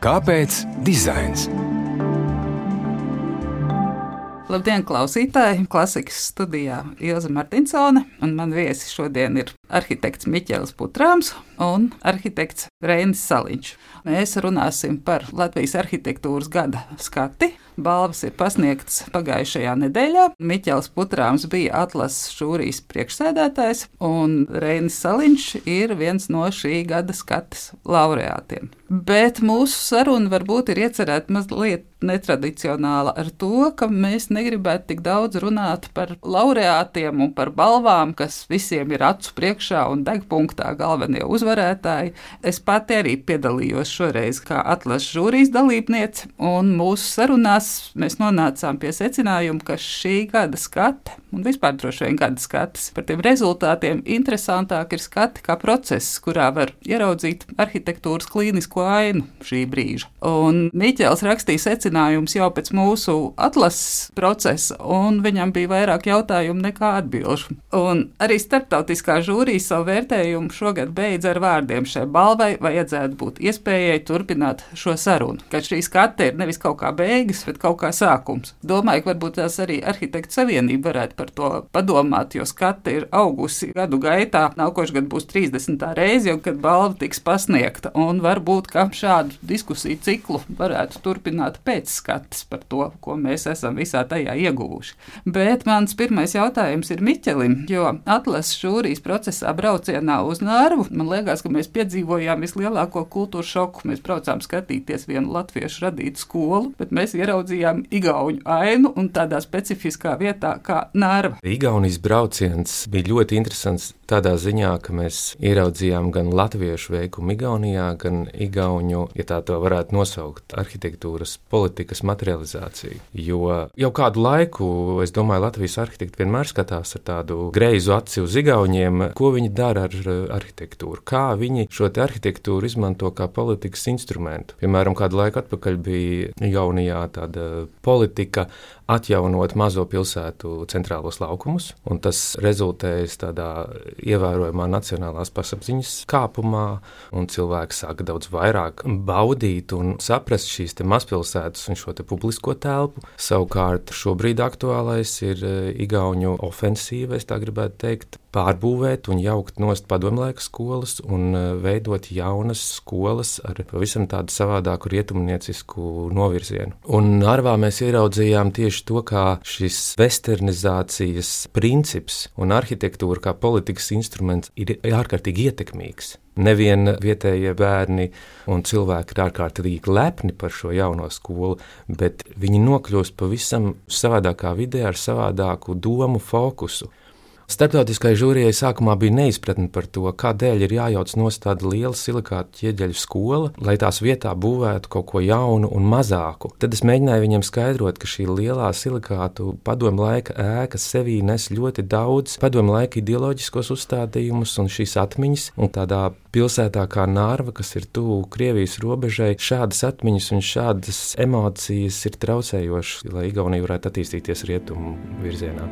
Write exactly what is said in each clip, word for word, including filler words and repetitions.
Kāpēc dizains? Labdien, klausītāji! Klasikas studijā Ilze Martinsone, un man viesi šodien ir arhitekts Miķelis Putrāms un arhitekts Reinis Saliņš. Mēs runāsim par Latvijas arhitektūras gada skati. Balvas ir pasniegtas pagājušajā nedēļā. Miķelis Putrāms bija atlases žūrijas priekšsēdētājs, un Reinis Saliņš ir viens no šī gada skates laureātiem. Bet mūsu saruna varbūt ir iecerēta mazliet netradicionāla ar to, ka mēs negribētu tik daudz runāt par laureātiem un par balvām, kas visiem ir acu priekšā un degpunktā galvenie uzvarētāji. Es pati arī piedalījos šoreiz kā atlases žūrijas dalībniece, un mūsu sarunās mēs nonācām pie secinājuma, ka šī gada skate, un vispār droši vien gada skates, par tiem rezultātiem interesantāk ir skati kā process, kurā var ieraudzīt arhitektūras klīnisko ainu šī brīža. Un Miķelis rakstīja secinājums jau pēc mūsu atlases procesa, un viņam bija vairāk jautājumu nekā atbilžu. Un arī starptautiskā žūrija savu vērtējumu šogad beidz ar vārdiem: šai balvai vajadzētu būt iespējai turpināt šo sarunu, ka šī skate ir nevis kaut kā beigas, bet kaut kā sākums. Domāju, ka varbūt tās arī Arhitektu savienība varētu par to padomāt, jo skate ir augusi gadu gaitā. Nākošais gads būs trīsdesmitā reize, kad balva tiks pasniegta, un varbūt, ka šādu diskusiju ciklu varētu turpināt pēc skates par to, ko mēs esam visā tajā ieguvuši. Bet mans pirmais jautājums ir Miķelim, jo atlases žūrijas procesā braucienā uz Narvu, man liekas, ka mēs piedzīvojām vislielāko kultūru šoku. Mēs braucām skatīties vienu latviešu radītu skolu, bet mēs ieraudzījām igauņu ainu un tādā specifiskā vietā kā Narva. Igaunijas brauciens bija ļoti interesants tādā ziņā, ka mēs ieraudzījām gan latviešu veikumu Igaunijā, gan igauņu, ja tā to varētu nosaukt, arhitektūras politikas materializāciju. Jo jau kādu laiku, es domāju, Latvijas arhitekti vienmēr skatās ar tādu greizu aci uz igauņiem, ko viņi dara ar arhitektūru, kā viņi šo te arhitektūru izmanto kā politikas instrumentu. Piemēram, kādu laiku atpakaļ bija Igaunijā tāda politika atjaunot mazo pilsētu centrālos laukumus, un tas rezultējas tādā ievērojamā nacionālās pasapziņas kāpumā, un cilvēki sāka daudz vairāk baudīt un saprast šīs te mazpilsētas un šo te publisko telpu. Savukārt šobrīd aktuālais ir igauņu ofensīva, es tā gribētu teikt, pārbūvēt un jaukt nost padomlaika skolas un veidot jaunas skolas ar pavisam tādu savādāku rietumniecisku novirzienu. Un Narvā mēs ieraudzījām tieši to, kā šis westernizācijas princips un arhitektūra kā politikas instruments ir ārkārtīgi ietekmīgs. Nevien vietējie bērni un cilvēki ir ārkārtīgi lepni par šo jauno skolu, bet viņi nokļūst pavisam savādākā vidē ar savādāku domu fokusu. Starptautiskajai žūrijai sākumā bija neizpratne par to, kādēļ ir jājauc nost tāda liela silikātu ķieģeļu skola, lai tās vietā būvētu kaut ko jaunu un mazāku. Tad es mēģināju viņiem skaidrot, ka šī lielā silikātu padomu laika ēka sevī nes ļoti daudz padomu laika ideoloģiskos uzstādījumus un šīs atmiņas, un tādā pilsētā kā Narva, kas ir tuvu Krievijas robežai, šādas atmiņas un šādas emocijas ir traucējošas, lai Igaunija varētu attīstīties rietumu virzienā.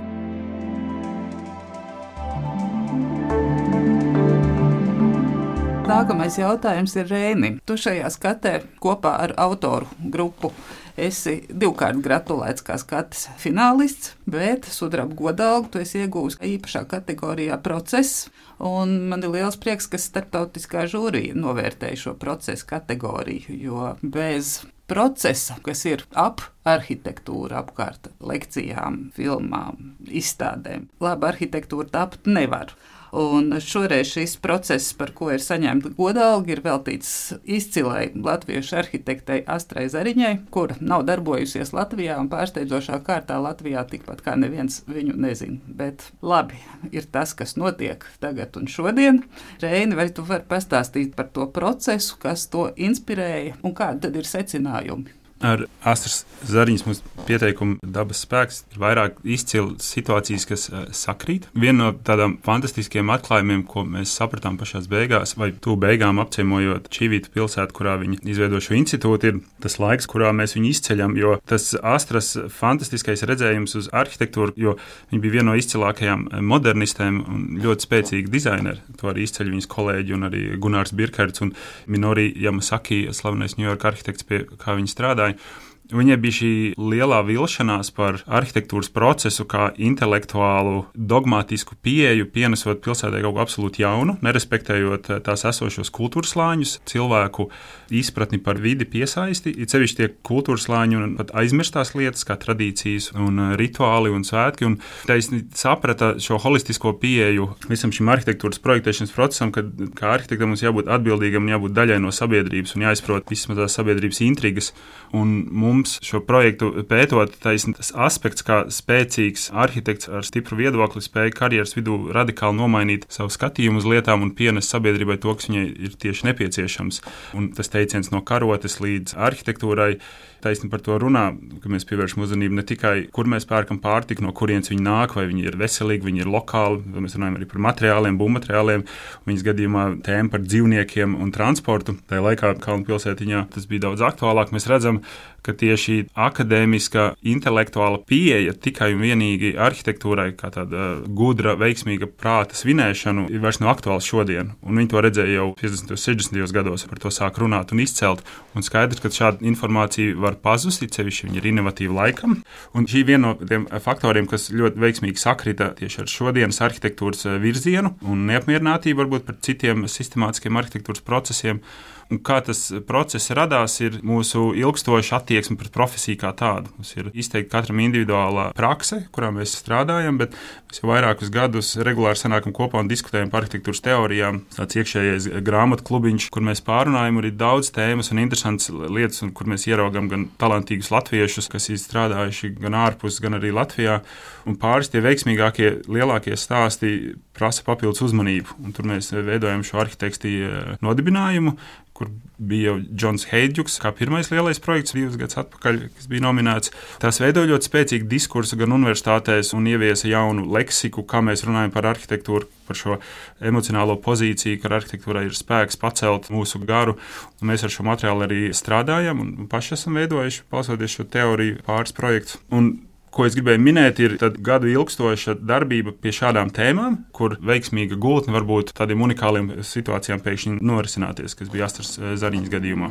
Nākamais jautājums ir Reinim. Tu šajā skatē kopā ar autoru grupu esi divkārt gratulēts kā skates finālists, bet sudraba godalgu tu esi iegūs īpašā kategorijā process, un man ir liels prieks, ka starptautiskā žūrija novērtēja šo procesu kategoriju, jo bez procesa, kas ir ap arhitektūru apkārt lekcijām, filmām, izstādēm, laba arhitektūra tapt nevar. Un šoreiz šis process, par ko ir saņemta godalga, ir veltīts izcilai latviešu arhitektei Astrai Zariņai, kura nav darbojusies Latvijā un pārsteidzošā kārtā Latvijā tikpat kā neviens viņu nezina. Bet labi, ir tas, kas notiek tagad un šodien. Reini, vai tu vari pastāstīt par to procesu, kas to inspirēja un kādi tad ir secinājumi? Ar Astras Zariņas mums pieteikumu Dabas spēks ir vairāk izcili situācijas, kas sakrīt. Viena no tādām fantastiskiem atklājumiem, ko mēs sapratām pašās beigās, vai tu beigām apciemojot Čīvītu pilsētu, kurā viņi izveido šo institūtu, ir tas laiks, kurā mēs viņu izceļam, jo tas Astras fantastiskais redzējums uz arhitektūru, jo viņi bija viena no izcilākajām modernistēm un ļoti spēcīgi dizaineri. To arī izceļ viņas kolēģi un arī Gunārs Birkerts un Minori Yamasaki, slavenais Ņujorka arhitekts, pie kā viņi strādāja. Viņai bija šī lielā vilšanās par arhitektūras procesu kā intelektuālu, dogmatisku pieeju, pienesot pilsētai kaut ko absolūti jaunu, nerespektējot tās esošos kultūras slāņus, cilvēku izpratni par vidi piesaisti, it sevišķi tie kultūras slāņi un pat aizmirstās lietas, kā tradīcijas un rituāli un svētki, un taisni saprata šo holistisko pieeju visam šim arhitektūras projektēšanas procesam, kad kā arhitektam mums jābūt atbildīgam un jābūt daļai no sabiedrības un jāizprot vismaz tās sabiedrības intrigas, un mums šo projektu pētot, taisni tas aspekts, kā spēcīgs arhitekts ar stipru viedokli spēja karjeras vidū radikāli nomainīt savu skatījumu uz lietām un pienes sabiedrībai to, kas viņai ir tieši nepieciešams. Un tas teiciens no karotes līdz arhitektūrai, taisni par to runā, ka mēs pievēršam uzmanību ne tikai, kur mēs pērkam pārtiku, no kurienes viņi nāk, vai viņi ir veselīgi, viņi ir lokāli, mēs runājam arī par materiāliem, būvmateriāliem, viņas gadījumā tēma par dzīvniekiem un transportu. Tajā laikā Kalnu pilsētiņā tas bija daudz aktuālāk. Mēs redzam, ka tieši akadēmiska, intelektuāla pieeja tikai un vienīgi arhitektūrai, kā tāda gudra, veiksmīga prāta svinēšanu, ir vairs nav aktuāls šodien. Un viņi to redzēja jau piecdesmitajos, sešdesmitajos gados, par to sāk runāt un izcelt. Un skaidrs, ka šāda informācija var pazust, sevišķi viņi ir inovatīvi laikam. Un šī viena no tiem faktoriem, kas ļoti veiksmīgi sakrita tieši ar šodienas arhitektūras virzienu un neapmierinātību varbūt par citiem sistemātiskiem arhitektūras procesiem. Un kā tas process radās, ir mūsu ilgstoša attieksme pret profesiju kā tādu. Mums ir izteikti katram individuālā prakse, kurā mēs strādājam, bet mēs jau vairākus gadus regulāri sanākam kopā un diskutējam par arhitektūras teorijām. Tāds iekšējais grāmatu klubiņš, kur mēs pārunājam, ir daudz tēmas un interesantas lietas, un kur mēs ieraugam gan talantīgus latviešus, kas ir strādājuši gan ārpus, gan arī Latvijā. Un pāris tie veiksmīgākie, lielākie stāsti prasa papildus uzmanību. Un tur mēs veidojam šo arhitekti nodibinājumu, kur bija jau Džons Heidžuks, kā pirmais lielais projekts divus gadus atpakaļ, kas bija nominēts. Tās veidoja ļoti spēcīgu diskursu gan universitātēs un ieviesa jaunu leksiku, kā mēs runājam par arhitektūru, par šo emocionālo pozīciju, ka arhitektūrai ir spēks pacelt mūsu garu. Un mēs ar šo materiālu arī strādājam un paši esam veidojuši, balstoties šo teoriju, pāris projektus. Un ko es gribēju minēt, ir gadu ilgstoša darbība pie šādām tēmām, kur veiksmīga gultne var būt tādiem unikāliem situācijām pēkšņi norisināties, kas bija Astras Zariņas gadījumā.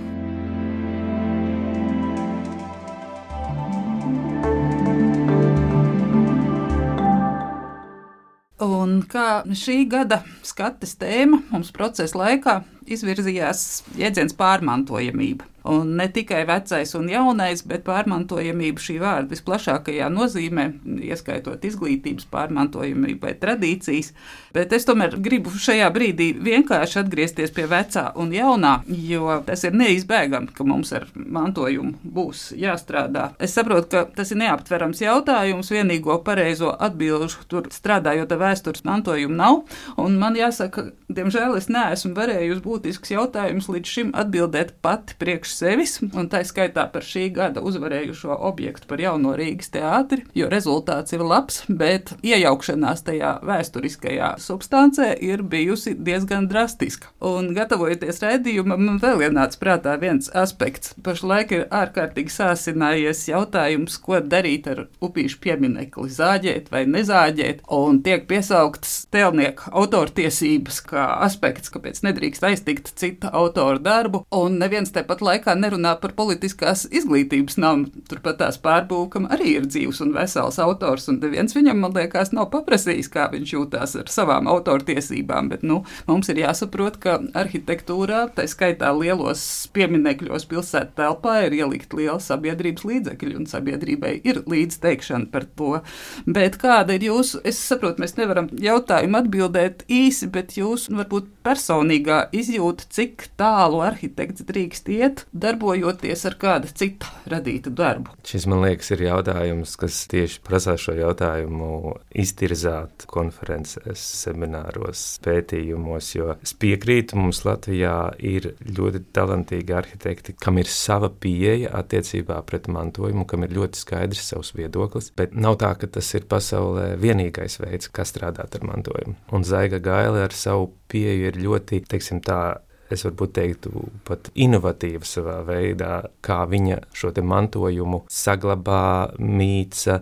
Un kā šī gada skates tēma mums procesa laikā izvirzījās jēdziens pārmantojamība. Un ne tikai vecais un jaunais, bet pārmantojamība šī vārda visplašākajā nozīmē, ieskaitot izglītības pārmantojamību vai tradīcijas. Bet es tomēr gribu šajā brīdī vienkārši atgriezties pie vecā un jaunā, jo tas ir neizbēgami, ka mums ar mantojumu būs jāstrādā. Es saprotu, ka tas ir neaptverams jautājums, vienīgo pareizo atbilžu tur strādājot ar vēstures mantojumu nav, un man jāsaka, diemžēl es neesmu varējusi būtisks jautājums līdz šim atbildēt pati priekš sevis, un tā skaitā par šī gada uzvarējušo objektu par jauno Rīgas teātri, jo rezultāts ir labs, bet iejaukšanās tajā vēsturiskajā substancē ir bijusi diezgan drastiska. Un gatavojoties raidījumam, man vēl ienāca prātā viens aspekts. Pašlaik ir ārkārtīgi sāsinājies jautājums, ko darīt ar upīšu pieminekli, zāģēt vai nezāģēt, un tiek piesauktas tēlnieka autortiesības kā aspekts, kāpēc nedrīkst aiztikt cita autora darbu, un neviens tepat laikā nerunā par politiskās izglītības namu. Turpat tās pārbūkam arī ir dzīvs un vesels autors, un neviens viņam, man liekas, nav paprasījis, kā viņš jūtās ar savām autortiesībām, bet, nu, mums ir jāsaprot, ka arhitektūrā, tā skaitā lielos pieminekļos pilsētu telpā, ir ielikt liela sabiedrības līdzekļi, un sabiedrībai ir līdzteikšana par to. Bet kāda ir jūsu, es saprotu, mēs nevaram jautājumu atbildēt īsi, bet jūsu, varbūt, personīgā izjūta izjūta, cik tālu arhitekts drīkst iet, darbojoties ar kāda cita radītu darbu? Šis, man liekas, ir jautājums, kas tieši prasā šo jautājumu iztirzāt konferencēs, semināros, pētījumos, jo es piekrītu, mums Latvijā ir ļoti talantīgi arhitekti, kam ir sava pieeja attiecībā pret mantojumu, kam ir ļoti skaidrs savs viedoklis, bet nav tā, ka tas ir pasaulē vienīgais veids, kā strādāt ar mantojumu. Un Zaiga Gaile ar savu pieeju ir ļoti, teiksim tā, es varbūt teiktu pat inovatīva savā veidā, kā viņa šo te mantojumu saglabā, mīca,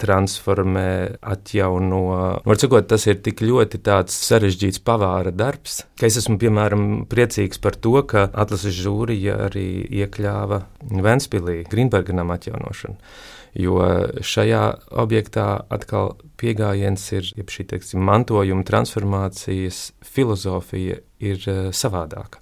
transformē, atjauno. Var sakot, tas ir tik ļoti tāds sarežģīts pavāra darbs, ka es esmu, piemēram, priecīgs par to, ka atlases žūrija arī iekļāva Ventspilī Grīnberga atjaunošanu. Jo šajā objektā atkal pieejams ir šī, teiksim, mantojuma transformācijas filozofija ir savādāka.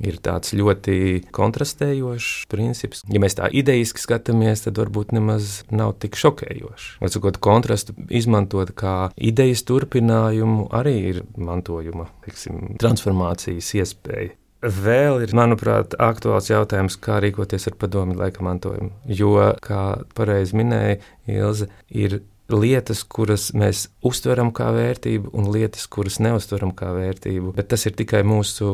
Ir tāds ļoti kontrastējošs princips. Ja mēs tā idejiski skatāmies, tad varbūt nemaz nav tik šokējoši. Var sakot, kontrastu izmantot kā idejas turpinājumu arī ir mantojuma, teiksim, transformācijas iespēja. Vēl ir, manuprāt, aktuāls jautājums, kā rīkoties ar padomju laika mantojumu. Jo, kā pareizi minēja Ilze, ir lietas, kuras mēs uztveram kā vērtību, un lietas, kuras neuztveram kā vērtību, bet tas ir tikai mūsu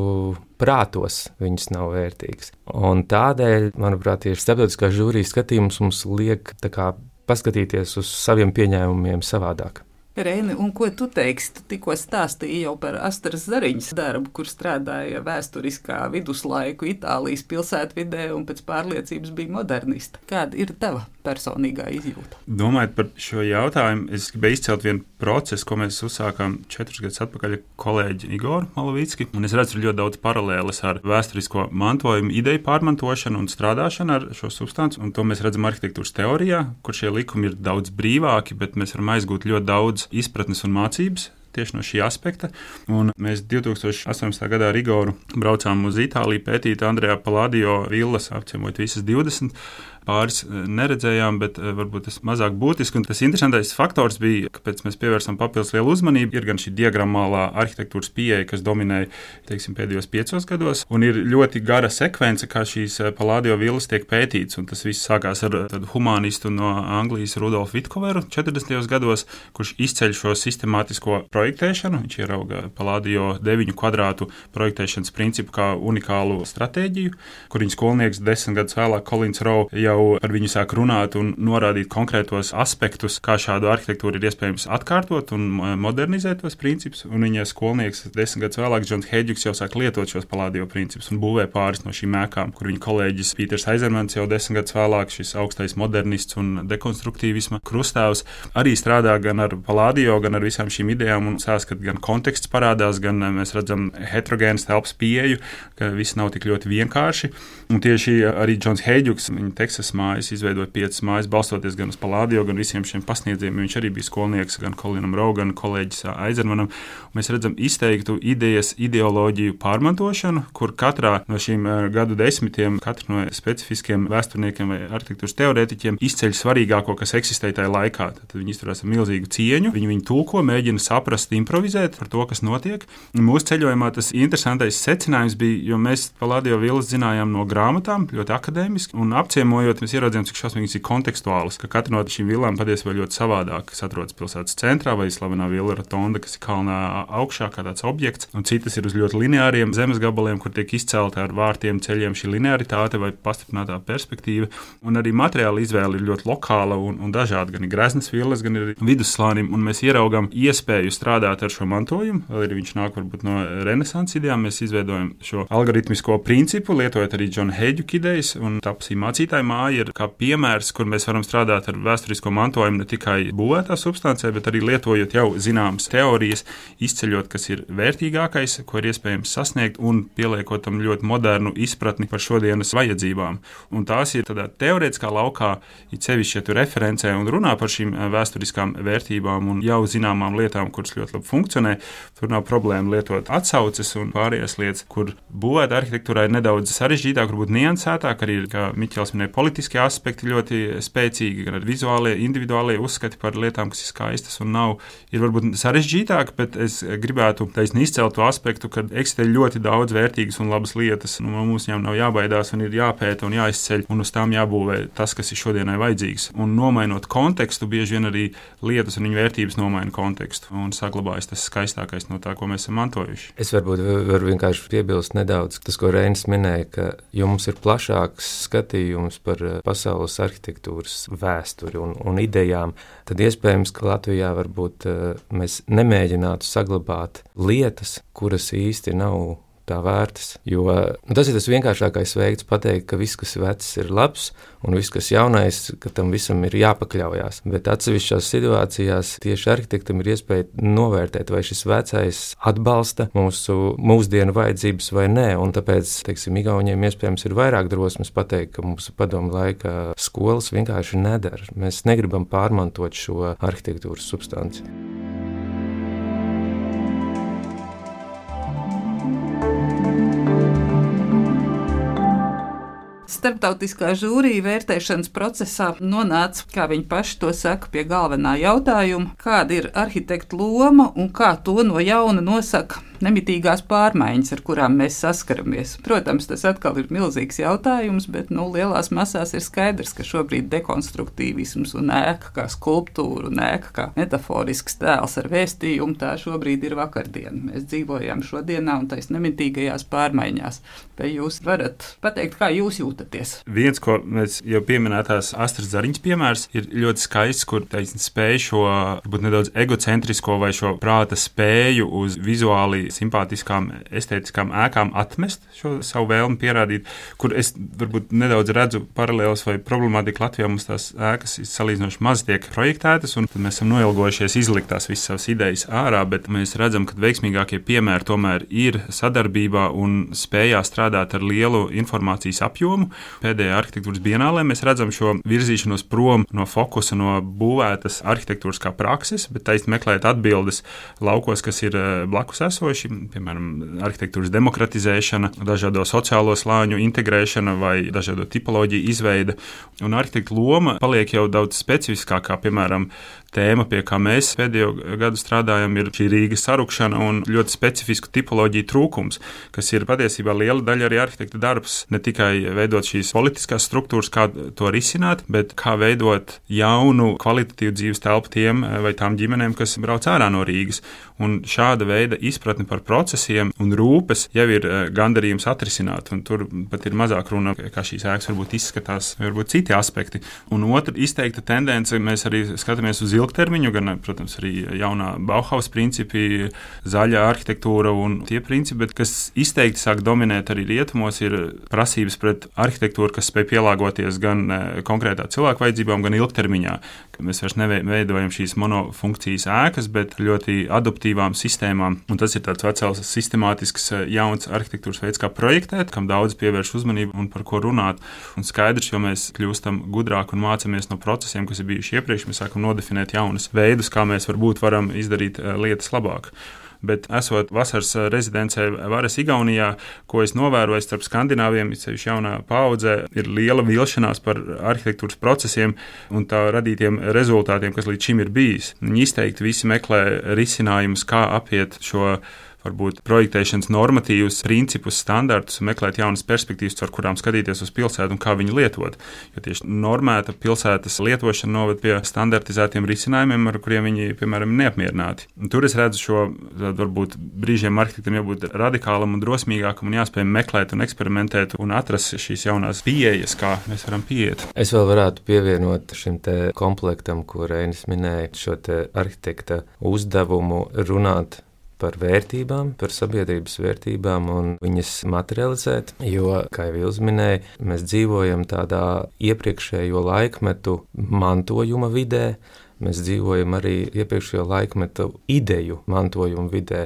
prātos, viņas nav vērtīgas. Un tādēļ, manuprāt, tieši starptautiskā žūrijas skatījums mums liek tā kā paskatīties uz saviem pieņēmumiem savādāk. Reini, un ko tu teiksi? Tu tikko stāstīji jau par Astras Zariņas darbu, kur strādāja vēsturiskā viduslaiku Itālijas pilsētvidē un pēc pārliecības bija modernista. Kāda ir tava personīgā izjūta? Domājot par šo jautājumu, es gribēju izcelt vienu procesu, ko mēs uzsākām četrus gadus atpakaļ ar kolēģi Igoru Malovicki. Un es redzu ļoti daudz paralēles ar vēsturisko mantojumu, ideju pārmantošanu un strādāšanu ar šo substanci. Un to mēs redzam arhitektūras teorijā, kur šie likumi ir daudz brīvāki, bet mēs varam aizgūt ļoti daudz izpratnes un mācības tieši no šī aspekta. Un mēs divi tūkstoši astoņpadsmitā gadā ar Igoru braucām uz Itāliju pētīt Andrea Palladio villas, apciemojot visas divdesmit. Pāris neredzējām, bet varbūt tas mazāk būtiski. Un tas interesantais faktors bija, kāpēc mēs pievērsām papildus lielu uzmanību, ir gan šī diagrammālā arhitektūras pieeja, kas dominēja, teiksim, pēdējos piecos gados, un ir ļoti gara sekvence, kā šīs Palladio villas tiek pētīts, un tas viss sākās ar tādu humanistu no Anglijas Rudolfu Vitkoveru četrdesmitajos gados, kurš izceļ šo sistemātisko projektēšanu. Viņš ierauga Palladio deviņu kvadrātu projektēšanas principu kā unikālu stratēģiju, kur viņa skolnieks desmit gadus vēlāk Collins Rowe jau par viņu sāk runāt un norādīt konkrētos aspektus, kā šādu arhitektūru ir iespējams atkārtot un modernizēt tos principus. Un viņa skolnieks desmit gadus vēlāk, Džons Heidžuks, jau sāk lietot šos Palladio principus un būvē pāris no šīm ēkām, kur viņa kolēģis Pīters Aizermans jau desmit gadus vēlāk, šis augstais modernists un dekonstruktīvisma krustāvs, arī strādā gan ar Palladio, gan ar visām šīm idejām un sāskat gan konteksts parādās, gan mēs redzam heterogēnas telpas pieeju, ka viss nav tik ļoti vienkārši. Un tieši arī Džons Heidžuks, viņa Teksas mājas, izveidoja piecas mājas, balstoties gan uz Palladio, gan visiem šiem pasniedzējiem. Viņš arī bija skolnieks gan Colinam Rowe, gan kolēģis Aizermanam. Mēs redzam izteiktu idejas, ideoloģiju pārmantošanu, kur katrā no šīm gadu desmitiem, katra no specifiskiem vēsturniekiem vai arhitektūras teorētiķiem izceļ svarīgāko, kas eksistēja tajā laikā. Tad viņi izturās ar milzīgu cieņu, viņi viņu tulko, mēģina saprast, improvizēt par to, kas notiek. Mūsu ceļojumā tas interesantais secinājums bija, jo mēs Palladio villas zinājām no grāmatām, ļoti akadēmiski, un apciemojot, mēs ieraudzījām, cik šausmīgas ir kontekstuālas, ka katra no šīm villām patiesībā ļoti savādāk, kas atrodas pilsētas centrā, vai slavenā villa Rotonda, kas ir kalnā augšā kā tāds objekts, un citas ir uz ļoti lineāriem zemes gabaliem, kur tiek izcelta ar vārtiem, ceļiem šī linearitāte vai pastiprinātā perspektīva, un arī materiāla izvēle ir ļoti lokāla un, un dažāda, gan ir greznas villas, gan ir vidusslānim, un mēs ieraugam iespēju strādāt ar šo mantojumu, vēl arī viņš nāk varbūt no renesanses idejām, mēs izveidojam šo algoritmisko principu, lietojot arī Džona Heidžuka idejas, un tapsī mācītāja māja ir kā piemērs, kur mēs varam strādāt ar vēsturisko mantojumu ne tikai būvētā substancē, bet arī lietojot jau zināmas teorijas, izceļot, kas ir vērtīgākais, ko ir iespējams sasniegt, un pieliekot tam ļoti modernu izpratni par šodienas vajadzībām. Un tās ir tādā teorētiskā laukā, it sevišķi, ja tu referencē un runā par šīm vēsturiskām vērtībām un jau zināmām lietām, kuras ļoti labi funkcionē, tur nav problēma lietot atsauces un pārējās lietas, kur būvēta arhitektūrā ir nedaudz sarežģītāk, varbūt niansētāk, arī, kā Miķels minēja, politiskie aspekti ļoti spēcīgi, gan vizuālie, individuālie uzskati par lietām, kas ir skaistas un nav, ir varbūt sarežģītāk, bet es gribētu taisni izcelt to aspektu, ka eksistē ļoti daudz vērtīgas un labas lietas, un mums viņām nav jābaidās un ir jāpēta un jāizceļ, un uz tām jābūvē tas, kas ir šodienai vajadzīgs. Un nomainot kontekstu, bieži vien arī lietas un viņu vērtības nomaina kontekstu, un saglabājas tas skaistākais no tā, ko mēs esam mantojuši. Es varbūt varu vienkārši piebilst nedaudz tas, ko Reinis minēja, ka jums ir plašāks skatījums par pasaules arhitektūras vēsturi un, un idejām, tad iespējams, ka Latvijā varbūt mēs nemēģinātu saglabāt lietas, kuras īsti nav tā vērtas, jo nu, tas ir tas vienkāršākais veids pateikt, ka viss, kas vecs, ir labs, un viss, kas jaunais, ka tam visam ir jāpakļaujās. Bet atsevišķās situācijās tieši arhitektam ir iespēja novērtēt, vai šis vecais atbalsta mūsu mūsdienu vajadzības vai nē, un tāpēc, teiksim, Igauniem iespējams ir vairāk drosmes pateikt, ka mūsu padomu laika skolas vienkārši nedara. Mēs negribam pārmantot šo arhitektūras substanci. Starptautiskā žūrija vērtēšanas procesā nonāca, kā viņi paši to saka, pie galvenā jautājuma, kāda ir arhitekta loma un kā to no jauna nosaka nemitīgās pārmaiņas, ar kurām mēs saskaramies. Protams, tas atkal ir milzīgs jautājums, bet nu, lielās masās ir skaidrs, ka šobrīd dekonstruktīvisms un ēka kā skulptūra un ēka kā metaforisks tēls ar vēstījumu, tā šobrīd ir vakardiena. Mēs dzīvojam šodienā un tais nemitīgajās pārmaiņās. Vai jūs varat pateikt, kā jūs jūtaties? Viens, ko mēs jau pieminētās Astras Zariņas piemērs, ir ļoti skaists, kur taisni spēj šo, varbūt nedaudz egocentrisko vai šo prāta spēju uz vizuāli simpātiskām, estētiskām ēkām atmest šo savu vēlmi pierādīt, kur es varbūt nedaudz redzu paralēlus vai problemātiku Latvijā. Mums tās ēkas salīdzinoši maz tiek projektētas, un tad mēs esam noilgojušies izlikt tās visas savas idejas ārā, bet mēs redzam, ka veiksmīgākie piemēri tomēr ir sadarbībā un spējā strādāt ar lielu informācijas apjomu. Pēdējā arhitektūras bienālē mēs redzam šo virzīšanos prom no fokusa, no būvētas arhitektūras kā prakses, bet taisni meklēt atbildes laukos, kas ir blakus esoši. Piemēram, arhitektūras demokratizēšana, dažādo sociālo slāņu integrēšana vai dažādo tipoloģiju izveide. Un arhitekta loma paliek jau daudz specifiskākā, piemēram, tēma, pie kā mēs pēdējo gadu strādājam, ir šī Rīgas sarukšana un ļoti specifisku tipoloģiju trūkums, kas ir patiesībā liela daļa arī arhitekta darbs. Ne tikai veidot šīs politiskās struktūras, kā to risināt, bet kā veidot jaunu kvalitatīvu dzīves telpu tiem vai tām ģimenēm, kas brauc ārā no Rīgas. Un šāda veida izpratne par procesiem un rūpes jau ir gandarījums atrisināt, un tur pat ir mazāk runa, kā šīs ēkas varbūt izskatās, varbūt citi aspekti. Un otra izteikta tendence, mēs arī skatāmies uz ilgtermiņu, gan, protams, arī jaunā Bauhaus principi, zaļā arhitektūra un tie principi, bet kas izteikti sāk dominēt arī rietumos, ir prasības pret arhitektūru, kas spēj pielāgoties gan konkrētā cilvēku vajadzībām, gan ilgtermiņā. Mēs vairs neveidojam šīs monofunkcijas ēkas, bet ļoti adaptīvām sistēmām, un tas ir tāds vecels sistemātisks jauns arhitektūras veids, kā projektēt, kam daudz pievērš uzmanību un par ko runāt. Un skaidrs, jo mēs kļūstam gudrāk un mācamies no procesiem, kas ir bijuši iepriekš, mēs sākam nodefinēt jaunus veidus, kā mēs varbūt varam izdarīt lietas labāk. Bet esot vasaras rezidencē Vares Igaunijā, ko es novēroju starp skandināviem, sevišķi jaunā paudze, ir liela vilšanās par arhitektūras procesiem un tā radītiem rezultātiem, kas līdz šim ir bijis. Viņi izteikti visi meklē risinājumus, kā apiet šo varbūt projektēšanas normatīvus, principus, standartus un meklēt jaunas perspektīvas, ar kurām skatīties uz pilsētu un kā viņu lietot. Jo tieši normēta pilsētas lietošana noved pie standartizētiem risinājumiem, ar kuriem viņi, piemēram, neapmierināti. Un tur es redzu šo, varbūt brīžiem arhitektam jābūt radikālam un drosmīgākam un jāspēj meklēt un eksperimentēt un atrast šīs jaunās pieejas, kā mēs varam pieiet. Es vēl varētu pievienot šim te komplektam, ko Reinis minēja, šo te arhitekta uzdevumu runāt par vērtībām, par sabiedrības vērtībām un viņas materializēt, jo, kā jau Ilze minēja, mēs dzīvojam tādā iepriekšējo laikmetu mantojuma vidē, mēs dzīvojam arī iepriekšējo laikmetu ideju mantojuma vidē.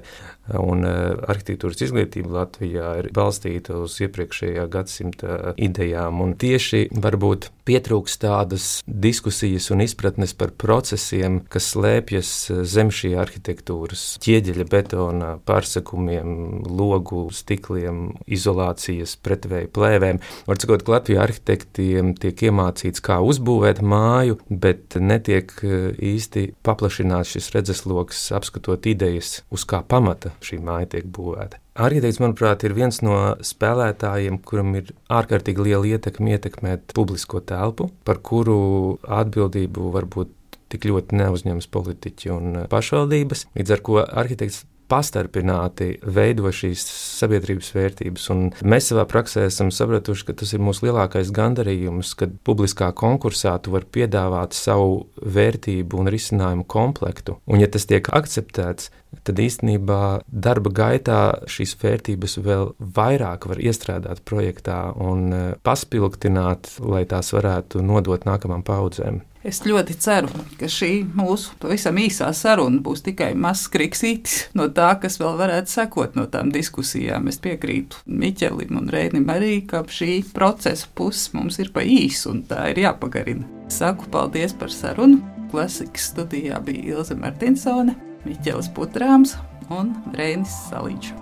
Un arhitektūras izglītība Latvijā ir balstīta uz iepriekšējā gadsimta idejām, un tieši varbūt pietrūkst tādas diskusijas un izpratnes par procesiem, kas slēpjas zem šī arhitektūras ķieģeļa betona pārsakumiem, logu stikliem, izolācijas pretvēju plēvēm. Var sakot, ka Latvijā arhitektiem tiek iemācīts, kā uzbūvēt māju, bet netiek īsti paplašināts šis redzesloks, apskatot idejas, uz kā pamata šī māja tiek būvēta. Arhitekts, manuprāt, ir viens no spēlētājiem, kuram ir ārkārtīgi liela ietekme ietekmēt publisko telpu, par kuru atbildību varbūt tik ļoti neuzņemas politiķi un pašvaldības, līdz ar ko arhitekts pastarpināti veido šīs sabiedrības vērtības. Un mēs savā praksē esam sapratuši, ka tas ir mūsu lielākais gandarījums, kad publiskā konkursā tu var piedāvāt savu vērtību un risinājumu komplektu. Un ja tas tiek akceptēts, tad īstenībā darba gaitā šīs vērtības vēl vairāk var iestrādāt projektā un paspilgtināt, lai tās varētu nodot nākamām paudzēm. Es ļoti ceru, ka šī mūsu pavisam īsā saruna būs tikai mazs kriksītis no tā, kas vēl varētu sekot no tām diskusijām. Es piekrītu Miķelim un Reinim arī, ka šī procesa puses mums ir pa īsu un tā ir jāpagarina. Saku paldies par sarunu. Klasikas studijā bija Ilze Martinsone, Miķelis Putrāms un Reinis Saliņš.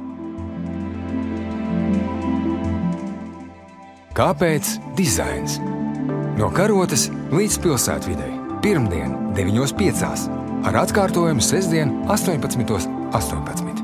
Kāpēc dizains? No karotes līdz pilsētvidei. Pirmdien deviņos piecās ar atkārtojumu sestdien astoņpadsmitos astoņpadsmit.